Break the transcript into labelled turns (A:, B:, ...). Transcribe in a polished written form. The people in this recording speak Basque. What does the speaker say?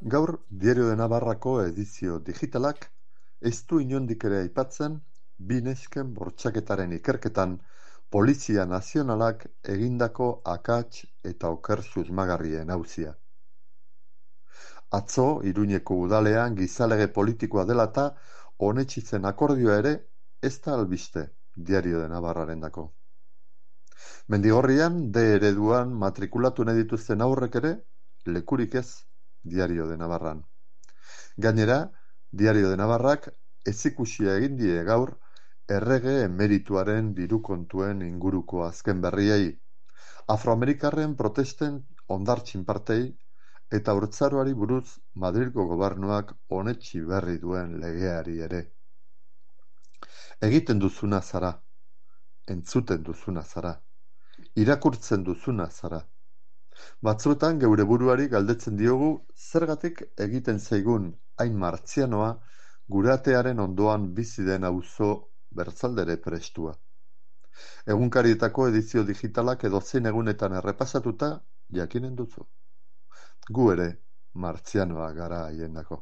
A: Gaur, Diario de Navarrako edizio digitalak ez du inondik ere aipatzen bi nesken bortxaketaren ikerketan Polizia Nazionalak egindako akats eta oker susmagarrien auzia. Atzo, Iruñeko udalean gizalege politikoa dela eta onetsi zen akordioa ere ez da albiste Diario de Navarrarendako. Mendigorrian, D ereduan matrikulatu nahi dituzten aurrek ere lekurik ez Diario de Navarran. Gainera, Diario de Navarrak ezikusia egin die gaur errege emerituaren diru kontuen inguruko azken berriei, afroamerikarren protesten hondartzin partei eta haurtzaroari buruz Madrilgo gobernuak onetsi berri duen legeari ere. Egiten duzuna zara, entzuten duzuna zara, irakurtzen duzuna zara. Batzuetan geure buruari galdetzen diogu zergatik egiten zaigun hain martzianoa guratearen ondoan bizi den auzo bertzaldere prestua. Egunkarietako edizio digitalak edozein egunetan errepasatuta jakinen duzu. Gu ere martzianoa gara haiendako.